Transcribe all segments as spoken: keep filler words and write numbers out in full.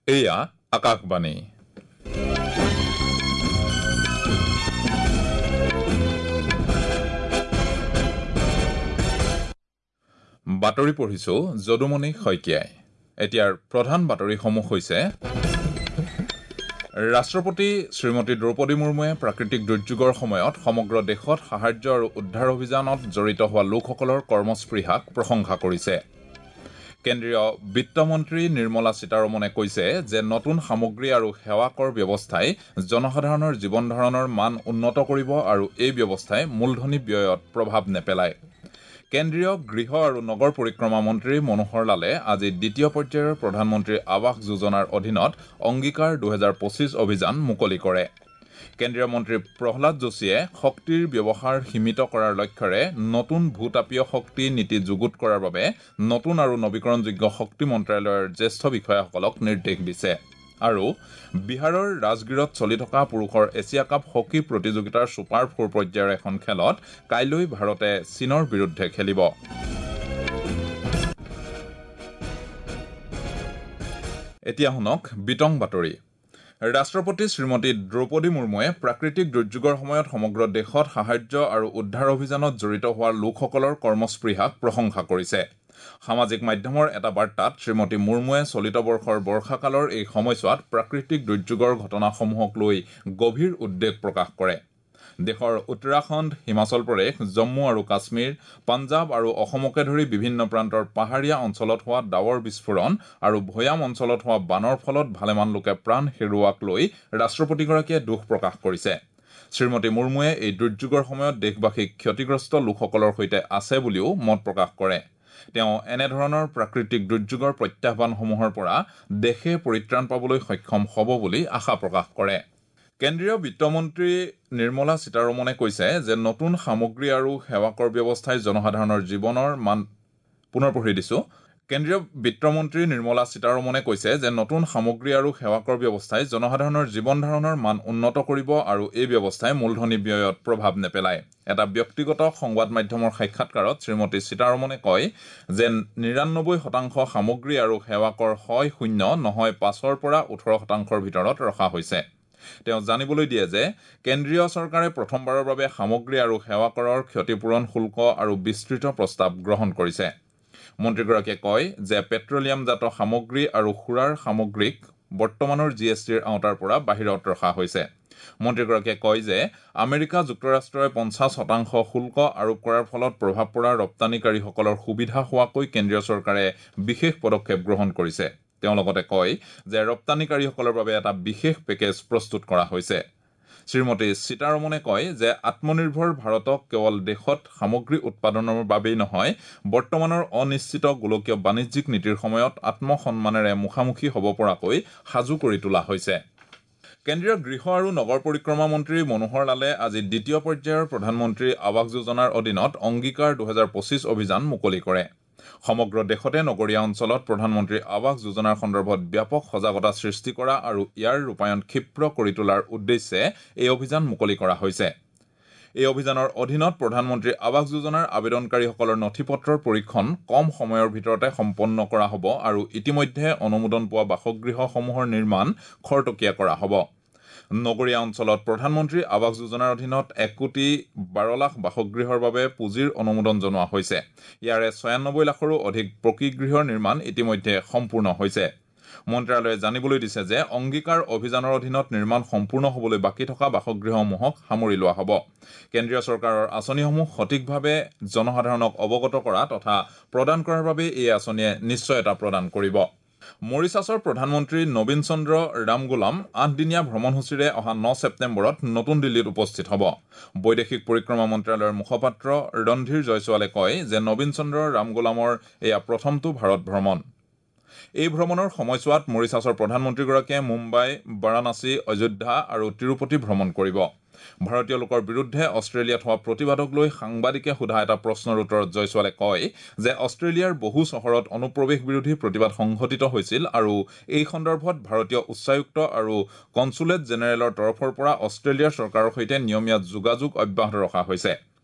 এয়া আকাশবাণী। বাতৰি পঢ়িছো যদুমণি শইকীয়াই। এতিয়াৰ প্ৰধান বাতৰিসমূহ হৈছে: ৰাষ্ট্ৰপতি শ্ৰীমতী দ্ৰৌপদী মুৰ্মুৱে প্ৰাকৃতিক দুৰ্যোগৰ সময়ত সমগ্ৰ দেশত সাহায্য আৰু উদ্ধাৰ অভিযানত জড়িত হোৱা লোকসকলৰ কৰ্মস্পৃহাক প্ৰশংসা কৰিছে। কেন্দ্ৰীয় বিত্তমন্ত্ৰী নিৰ্মলা সীতাৰমণে কৈছে যে নতুন সামগ্ৰী আৰু সেৱা কৰ ব্যৱস্থাই জনসাধাৰণৰ জীৱন ধাৰণৰ মান উন্নত কৰিব আৰু এই ব্যৱস্থাই মূলধনী ব্যয়ত প্ৰভাৱ নেপেলায়। কেন্দ্ৰীয় গৃহ আৰু নগৰ পৰিক্ৰমা মন্ত্ৰী মনোহৰ লালে আজি দ্বিতীয় পৰ্যায়ৰ প্ৰধানমন্ত্ৰী আৱাস যোজনাৰ অধীনত অংগীকাৰ দুহেজাৰ পঁচিছ অভিযান মুকলি কৰে। কেন্দ্ৰীয় মন্ত্ৰী প্ৰহ্লাদ যোশীয়ে শক্তিৰ ব্যৱহাৰ সীমিত কৰাৰ লক্ষ্যৰে নতুন ভূতাপীয় শক্তি নীতি যুগুত কৰাৰ বাবে নতুন আৰু নৱীকৰণযোগ্য শক্তি মন্ত্ৰালয়ৰ জ্যেষ্ঠ বিষয়াসকলক নিৰ্দেশ দিছে। আৰু বিহাৰৰ ৰাজগীৰত চলি থকা পুৰুষৰ এছিয়া কাপ হকী প্ৰতিযোগিতাৰ ছুপাৰ ফ'ৰ পৰ্যায়ৰ এখন খেলত কাইলৈ ভাৰতে চীনৰ বিৰুদ্ধে খেলিব। এতিয়া শুনক বিতং বাতৰি। ৰাষ্ট্ৰপতি শ্ৰীমতী দ্ৰৌপদী মুৰ্মুৱে প্ৰাকৃতিক দুৰ্যোগৰ সময়ত সমগ্ৰ দেশত সাহায্য আৰু উদ্ধাৰ অভিযানত জড়িত হোৱা লোকসকলৰ কৰ্মস্পৃহাক প্ৰশংসা কৰিছে। সামাজিক মাধ্যমৰ এটা বাৰ্তাত শ্ৰীমতী মুৰ্মুৱে চলিত বৰ্ষৰ বৰ্ষাকালৰ এই সময়ছোৱাত প্ৰাকৃতিক দুৰ্যোগৰ ঘটনাসমূহক লৈ গভীৰ উদ্বেগ প্ৰকাশ কৰে। দেশৰ উত্তৰাখণ্ড, হিমাচল প্ৰদেশ, জম্মু আৰু কাশ্মীৰ, পাঞ্জাৱ আৰু অসমকে ধৰি বিভিন্ন প্ৰান্তৰ পাহাৰীয়া অঞ্চলত হোৱা ডাৱৰ বিস্ফোৰণ আৰু ভৈয়াম অঞ্চলত হোৱা বানৰ ফলত ভালেমান লোকে প্ৰাণ হেৰুওৱাক লৈ ৰাষ্ট্ৰপতিগৰাকীয়ে দুখ প্ৰকাশ কৰিছে। শ্ৰীমতী মুৰ্মুৱে এই দুৰ্যোগৰ সময়ত দেশবাসীক ক্ষতিগ্ৰস্ত লোকসকলৰ সৈতে আছে বুলিও মত প্ৰকাশ কৰে। তেওঁ এনেধৰণৰ প্ৰাকৃতিক দুৰ্যোগৰ প্ৰত্যাহ্বানসমূহৰ পৰা দেশে পৰিত্ৰাণ পাবলৈ সক্ষম হ'ব বুলি আশা প্ৰকাশ কৰে। কেন্দ্ৰীয় বিত্তমন্ত্ৰী নিৰ্মলা সীতাৰমণে কৈছে যে নতুন সামগ্ৰী আৰু সেৱা কৰ ব্যৱস্থাই জনসাধাৰণৰ জীৱনৰ মান পুনৰ পঢ়ি দিছো। কেন্দ্ৰীয় বিত্তমন্ত্ৰী নিৰ্মলা সীতাৰমণে কৈছে যে নতুন সামগ্ৰী আৰু সেৱা কৰ ব্যৱস্থাই জনসাধাৰণৰ জীৱন ধাৰণৰ মান উন্নত কৰিব আৰু এই ব্যৱস্থাই মূলধনী ব্যয়ত প্ৰভাৱ নেপেলায়। এটা ব্যক্তিগত সংবাদ মাধ্যমৰ সাক্ষাৎকাৰত শ্ৰীমতী সীতাৰমণে কয় যে নিৰান্নব্বৈ শতাংশ সামগ্ৰী আৰু সেৱা কৰ হয় শূন্য নহয় পাঁচৰ পৰা ওঠৰ শতাংশৰ ভিতৰত ৰখা হৈছে। তেওঁ জানিবলৈ দিয়ে যে কেন্দ্ৰীয় চৰকাৰে প্ৰথমবাৰৰ বাবে সামগ্ৰী আৰু সেৱা কৰৰ ক্ষতিপূৰণ শুল্ক আৰু বিস্তৃত প্ৰস্তাৱ গ্ৰহণ কৰিছে। মন্ত্ৰীগৰাকীয়ে কয় যে পেট্ৰলিয়ামজাত সামগ্ৰী আৰু সুৰাৰ সামগ্ৰীক বৰ্তমানৰ জি এছ টিৰ আওতাৰ পৰা বাহিৰত ৰখা হৈছে। মন্ত্ৰীগৰাকীয়ে কয় যে আমেৰিকা যুক্তৰাষ্ট্ৰই পঞ্চাছ শতাংশ শুল্ক আৰোপ কৰাৰ ফলত প্ৰভাৱ পৰা ৰপ্তানিকাৰীসকলৰ সুবিধা হোৱাকৈ কেন্দ্ৰীয় চৰকাৰে বিশেষ পদক্ষেপ গ্ৰহণ কৰিছে। তেওঁ লগতে কয় যে ৰপ্তানিকাৰীসকলৰ বাবে এটা বিশেষ পেকেজ প্ৰস্তুত কৰা হৈছে। শ্ৰীমতী সীতাৰমণে কয় যে আত্মনিৰ্ভৰ ভাৰতক কেৱল দেশত সামগ্ৰী উৎপাদনৰ বাবেই নহয়, বৰ্তমানৰ অনিশ্চিত গোলকীয় বাণিজ্যিক নীতিৰ সময়ত আত্মসন্মানেৰে মুখামুখি হ'ব পৰাকৈ সাজু কৰি তোলা হৈছে। কেন্দ্ৰীয় গৃহ আৰু নগৰ পৰিক্ৰমা মন্ত্ৰী মনোহৰ লালে আজি দ্বিতীয় পৰ্যায়ৰ প্ৰধানমন্ত্ৰী আৱাস যোজনাৰ অধীনত অংগীকাৰ দুহেজাৰ পঁচিছ অভিযান মুকলি কৰে। সমগ্ৰ দেশতে নগৰীয়া অঞ্চলত প্ৰধানমন্ত্ৰী আৱাস যোজনাৰ সন্দৰ্ভত ব্যাপক সজাগতা সৃষ্টি কৰা আৰু ইয়াৰ ৰূপায়ণ ক্ষীপ্ৰ কৰি তোলাৰ উদ্দেশ্যে এই অভিযান মুকলি কৰা হৈছে। এই অভিযানৰ অধীনত প্ৰধানমন্ত্ৰী আৱাস যোজনাৰ আবেদনকাৰীসকলৰ নথি পত্ৰৰ পৰীক্ষণ কম সময়ৰ ভিতৰতে সম্পন্ন কৰা হ'ব আৰু ইতিমধ্যে অনুমোদন পোৱা বাসগৃহসমূহৰ নিৰ্মাণ খৰতকীয়া কৰা হ'ব। নগৰীয়া অঞ্চলত প্ৰধানমন্ত্ৰী আৱাস যোজনাৰ অধীনত এক কোটি বাৰ লাখ বাসগৃহৰ বাবে পুঁজিৰ অনুমোদন জনোৱা হৈছে। ইয়াৰে ছয়ান্নব্বৈ লাখৰো অধিক পকী গৃহৰ নিৰ্মাণ ইতিমধ্যে সম্পূৰ্ণ হৈছে। মন্ত্ৰালয়ে জানিবলৈ দিছে যে অংগীকাৰ অভিযানৰ অধীনত নিৰ্মাণ সম্পূৰ্ণ হ'বলৈ বাকী থকা বাসগৃহসমূহক সামৰি লোৱা হ'ব। কেন্দ্ৰীয় চৰকাৰৰ আঁচনিসমূহ সঠিকভাৱে জনসাধাৰণক অৱগত কৰা তথা প্ৰদান কৰাৰ বাবে এই আঁচনিয়ে নিশ্চয়তা প্ৰদান কৰিব। মৰিচাছৰ প্ৰধানমন্ত্ৰী নবীন চন্দ্ৰ ৰামগোলাম আঠদিনীয়া ভ্ৰমণসূচীৰে অহা ন ছেপ্টেম্বৰত নতুন দিল্লীত উপস্থিত হ'ব। বৈদেশিক পৰিক্ৰমা মন্ত্ৰালয়ৰ মুখপাত্ৰ ৰণধীৰ জয়ছোৱালে কয় যে নবীন চন্দ্ৰ ৰামগোলামৰ এয়া প্ৰথমটো ভাৰত ভ্ৰমণ। এই ভ্ৰমণৰ সময়ছোৱাত মৰিচাছৰ প্ৰধানমন্ত্ৰীগৰাকীয়ে মুম্বাই, বাৰাণসী, অযোধ্যা আৰু তিৰুপতি ভ্ৰমণ কৰিব। ভাৰতীয় লোকৰ বিৰুদ্ধে অষ্ট্ৰেলিয়াত হোৱা প্ৰতিবাদক লৈ সাংবাদিকে সোধা এটা প্ৰশ্নৰ উত্তৰত জয়ছোৱালে কয় যে অষ্ট্ৰেলিয়াৰ বহু চহৰত অনুপ্ৰৱেশ বিৰোধী প্ৰতিবাদ সংঘটিত হৈছিল আৰু এই সন্দৰ্ভত ভাৰতীয় উচ্চায়ুক্ত আৰু কনচুলেট জেনেৰেলৰ তৰফৰ পৰা অষ্ট্ৰেলিয়াৰ চৰকাৰৰ সৈতে নিয়মীয়া যোগাযোগ অব্যাহত ৰখা হৈছে।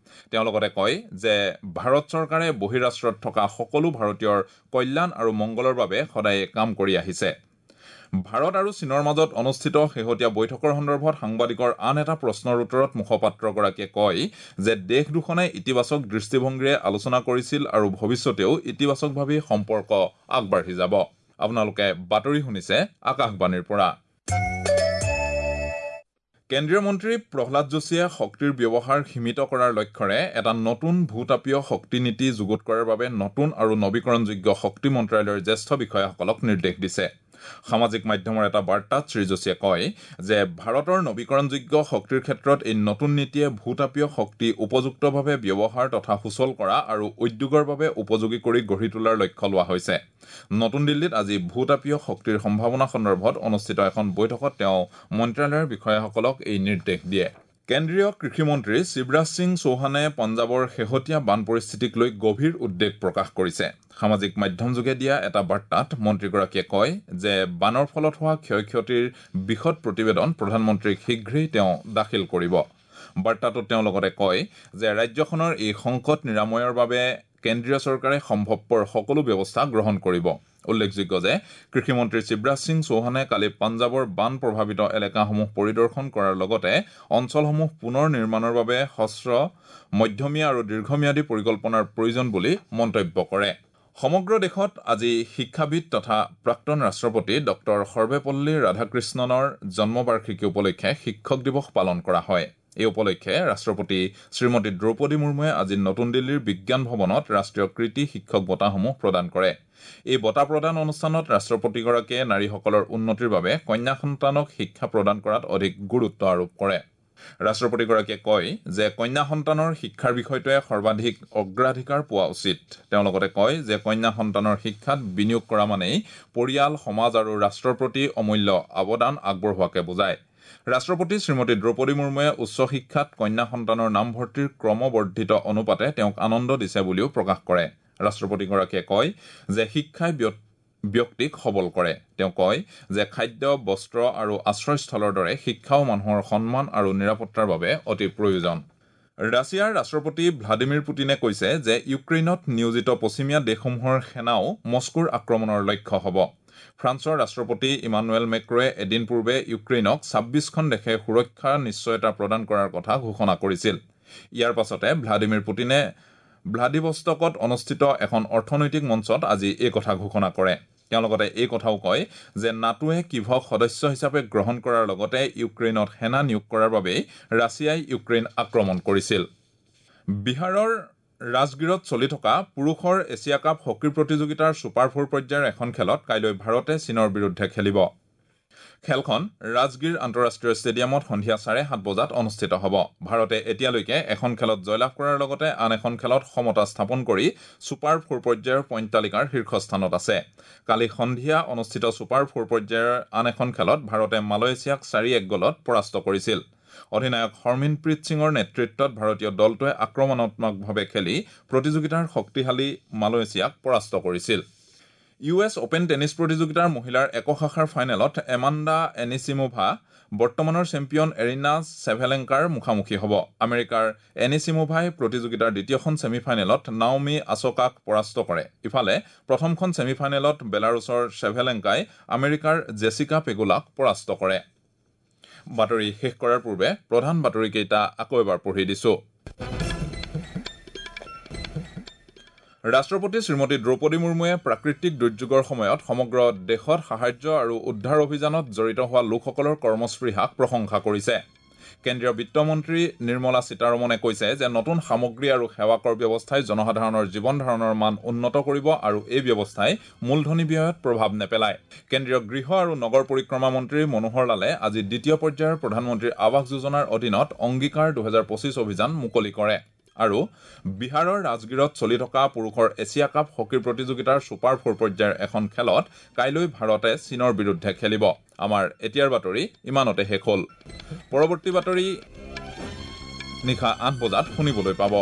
তেওঁ লগতে কয় যে ভাৰত চৰকাৰে বহিৰাষ্ট্ৰত থকা সকলো ভাৰতীয়ৰ কল্যাণ আৰু মংগলৰ বাবে সদায়ে কাম কৰি আহিছে। ভাৰত আৰু চীনৰ মাজত অনুষ্ঠিত শেহতীয়া বৈঠকৰ সন্দৰ্ভত সাংবাদিকৰ আন এটা প্ৰশ্নৰ উত্তৰত মুখপাত্ৰগৰাকীয়ে কয় যে দেশ দুখনে ইতিবাচক দৃষ্টিভংগীৰে আলোচনা কৰিছিল আৰু ভৱিষ্যতেও ইতিবাচকভাৱে সম্পৰ্ক আগবাঢ়ি যাব। আপোনালোকে বাতৰি শুনিছে আকাশবাণীৰ পৰা। কেন্দ্ৰীয় মন্ত্ৰী প্ৰহ্লাদ যোশীয়ে শক্তিৰ ব্যৱহাৰ সীমিত কৰাৰ লক্ষ্যৰে এটা নতুন ভূতাপীয় শক্তি নীতি যুগুত কৰাৰ বাবে নতুন আৰু নৱীকৰণযোগ্য শক্তি মন্ত্ৰালয়ৰ জ্যেষ্ঠ বিষয়াসকলক নিৰ্দেশ দিছে। সামাজিক মাধ্যমৰ এটা বাৰ্তাত শ্ৰী যোশীয়ে কয় যে ভাৰতৰ নৱীকৰণযোগ্য শক্তিৰ ক্ষেত্ৰত এই নতুন নীতিয়ে ভূতাপীয় শক্তি উপযুক্তভাৱে ব্যৱহাৰ তথা সুচল কৰা আৰু উদ্যোগৰ বাবে উপযোগী কৰি গঢ়ি তোলাৰ লক্ষ্য লোৱা হৈছে। নতুন দিল্লীত আজি ভূতাপীয় শক্তিৰ সম্ভাৱনা সন্দৰ্ভত অনুষ্ঠিত এখন বৈঠকত তেওঁ মন্ত্ৰালয়ৰ বিষয়াসকলক এই নিৰ্দেশ দিয়ে। কেন্দ্ৰীয় কৃষিমন্ত্ৰী শিৱৰাজ সিং চৌহানে পঞ্জাৱৰ শেহতীয়া বান পৰিস্থিতিক লৈ গভীৰ উদ্বেগ প্ৰকাশ কৰিছে। সামাজিক মাধ্যমযোগে দিয়া এটা বাৰ্তাত মন্ত্ৰীগৰাকীয়ে কয় যে বানৰ ফলত হোৱা ক্ষয় ক্ষতিৰ বিশদ প্ৰতিবেদন প্ৰধানমন্ত্ৰীক শীঘ্ৰেই তেওঁ দাখিল কৰিব। বাৰ্তাটোত তেওঁ লগতে কয় যে ৰাজ্যখনৰ এই সংকট নিৰাময়ৰ বাবে কেন্দ্ৰীয় চৰকাৰে সম্ভৱপৰ সকলো ব্যৱস্থা গ্ৰহণ কৰিব। উল্লেখযোগ্য যে কৃষিমন্ত্ৰী শিৱৰাজ সিং চৌহানে কালি পঞ্জাৱৰ বান প্ৰভাৱিত এলেকাসমূহ পৰিদৰ্শন কৰাৰ লগতে অঞ্চলসমূহ পুনৰ নিৰ্মাণৰ বাবে হ্ৰস্ব, মধ্যমীয়া আৰু দীৰ্ঘম্যাদী পৰিকল্পনাৰ প্ৰয়োজন বুলি মন্তব্য কৰে। সমগ্ৰ দেশত আজি শিক্ষাবিদ তথা প্ৰাক্তন ৰাষ্ট্ৰপতি ডক্টৰ সৰ্বেপল্লী ৰাধাকৃষ্ণনৰ জন্মবাৰ্ষিকী উপলক্ষে শিক্ষক দিৱস পালন কৰা হয়। এই উপলক্ষে ৰাষ্ট্ৰপতি শ্ৰীমতী দ্ৰৌপদী মুৰ্মুৱে আজি নতুন দিল্লীৰ বিজ্ঞান ভৱনত ৰাষ্ট্ৰীয় কৃতি শিক্ষক বঁটাসমূহ প্ৰদান কৰে। এই বঁটা প্ৰদান অনুষ্ঠানত ৰাষ্ট্ৰপতিগৰাকীয়ে নাৰীসকলৰ উন্নতিৰ বাবে কন্যা সন্তানক শিক্ষা প্ৰদান কৰাত অধিক গুৰুত্ব আৰোপ কৰে। ৰাষ্ট্ৰপতিগৰাকীয়ে কয় যে কন্যা সন্তানৰ শিক্ষাৰ বিষয়টোৱে সৰ্বাধিক অগ্ৰাধিকাৰ পোৱা উচিত। তেওঁ লগতে কয় যে কন্যা সন্তানৰ শিক্ষাত বিনিয়োগ কৰা মানেই পৰিয়াল, সমাজ আৰু ৰাষ্ট্ৰৰ প্ৰতি অমূল্য অৱদান আগবঢ়োৱাকে বুজায়। ৰাষ্ট্ৰপতি শ্ৰীমতী দ্ৰৌপদী মুৰ্মুৱে উচ্চ শিক্ষাত কন্যা সন্তানৰ নামভৰ্তিৰ ক্ৰমবৰ্ধিত অনুপাতে তেওঁক আনন্দ দিছে বুলিও প্ৰকাশ কৰে। ৰাষ্ট্ৰপতিগৰাকীয়ে কয় যে শিক্ষাই ব্যক্তিক সবল কৰে। তেওঁ কয় যে খাদ্য, বস্ত্ৰ আৰু আশ্ৰয়স্থলৰ দৰে শিক্ষাও মানুহৰ সন্মান আৰু নিৰাপত্তাৰ বাবে অতি প্ৰয়োজন। ৰাছিয়াৰ ৰাষ্ট্ৰপতি ভ্লাদিমিৰ পুটিনে কৈছে যে ইউক্ৰেইনত নিয়োজিত পশ্চিমীয়া দেশসমূহৰ সেনাও মস্কোৰ আক্ৰমণৰ লক্ষ্য হ'ব। ফ্ৰান্সৰ ৰাষ্ট্ৰপতি ইমানুৱেল মেক্ৰয়ে এদিন পূৰ্বে ইউক্ৰেইনক ছাব্বিছখন দেশে সুৰক্ষাৰ নিশ্চয়তা প্ৰদান কৰাৰ কথা ঘোষণা কৰিছিল। ইয়াৰ পাছতে ভ্লাদিমিৰ পুটিনে ভ্লাদিভষ্টকত অনুষ্ঠিত এখন অৰ্থনৈতিক মঞ্চত আজি এই কথা ঘোষণা কৰে। তেওঁ লগতে এই কথাও কয় যে নাটোৱে কিভক সদস্য হিচাপে গ্ৰহণ কৰাৰ লগতে ইউক্ৰেইনত সেনা নিয়োগ কৰাৰ বাবেই ৰাছিয়াই ইউক্ৰেইন আক্ৰমণ কৰিছিল। বিহাৰৰ ৰাজগীৰত চলি থকা পুৰুষৰ এছিয়া কাপ হকী প্ৰতিযোগিতাৰ ছুপাৰ ফ'ৰ পৰ্যায়ৰ এখন খেলত কাইলৈ ভাৰতে চীনৰ বিৰুদ্ধে খেলিব। খেলখন ৰাজগীৰ আন্তঃৰাষ্ট্ৰীয় ষ্টেডিয়ামত সন্ধিয়া চাৰে সাত বজাত অনুষ্ঠিত হ'ব। ভাৰতে এতিয়ালৈকে এখন খেলত জয়লাভ কৰাৰ লগতে আন এখন খেলত সমতা স্থাপন কৰি ছুপাৰ ফ'ৰ পৰ্যায়ৰ পইণ্ট তালিকাৰ শীৰ্ষস্থানত আছে। কালি সন্ধিয়া অনুষ্ঠিত ছুপাৰ ফ'ৰ পৰ্যায়ৰ আন এখন খেলত ভাৰতে মালয়েছিয়াক চাৰি এক গ'লত পৰাস্ত কৰিছিল। অধিনায়ক হৰমিনপ্ৰীত সিঙৰ নেতৃত্বত ভাৰতীয় দলটোৱে আক্ৰমণাত্মকভাৱে খেলি প্ৰতিযোগিতাৰ শক্তিশালী মালয়েছিয়াক পৰাস্ত কৰিছিল। ইউ এছ অপেন টেনিছ প্ৰতিযোগিতাৰ মহিলাৰ একক শাখাৰ ফাইনেলত এমাণ্ডা এনিচিমোভা বৰ্তমানৰ চেম্পিয়ন এৰিনা চেভেলেংকাৰ মুখামুখি হ'ব। আমেৰিকাৰ এনিচিমোভাই প্ৰতিযোগিতাৰ দ্বিতীয়খন ছেমিফাইনেলত নাওমি আছকাক পৰাস্ত কৰে। ইফালে প্ৰথমখন ছেমিফাইনেলত বেলাৰুছৰ চেভেলেংকাই আমেৰিকাৰ জেছিকা পেগুলাক পৰাস্ত কৰে। বাতৰি শেষ কৰাৰ পূৰ্বে প্ৰধান বাতৰিকেইটা আকৌ এবাৰ পঢ়ি দিছো। ৰাষ্ট্ৰপতি শ্ৰীমতী দ্ৰৌপদী মুৰ্মুৱে প্ৰাকৃতিক দুৰ্যোগৰ সময়ত সমগ্ৰ দেশত সাহায্য আৰু উদ্ধাৰ অভিযানত জড়িত হোৱা লোকসকলৰ কৰ্মস্পৃহাক প্ৰশংসা কৰিছে। কেন্দ্ৰীয় বিত্তমন্ত্ৰী নিৰ্মলা সীতাৰমণে কৈছে যে নতুন সামগ্ৰী আৰু সেৱা কৰ ব্যৱস্থাই জনসাধাৰণৰ জীৱন ধাৰণৰ মান উন্নত কৰিব আৰু এই ব্যৱস্থাই মূলধনী ব্যয়ত প্ৰভাৱ নেপেলায়। কেন্দ্ৰীয় গৃহ আৰু নগৰ পৰিক্ৰমা মন্ত্ৰী মনোহৰ লালে আজি দ্বিতীয় পৰ্যায়ৰ প্ৰধানমন্ত্ৰীৰ আৱাস যোজনাৰ অধীনত অংগীকাৰ দুহেজাৰ পঁচিছ অভিযান মুকলি কৰে। আৰু বিহাৰৰ ৰাজগীৰত চলি থকা পুৰুষৰ এছিয়া কাপ হকী প্ৰতিযোগিতাৰ ছুপাৰ ফ'ৰ পৰ্যায়ৰ এখন খেলত কাইলৈ ভাৰতে চীনৰ বিৰুদ্ধে খেলিব। আমাৰ এতিয়াৰ বাতৰি ইমানতে শেষ হ'ল। পৰৱৰ্তী বাতৰি নিশা আঠ বজাত শুনিবলৈ পাব।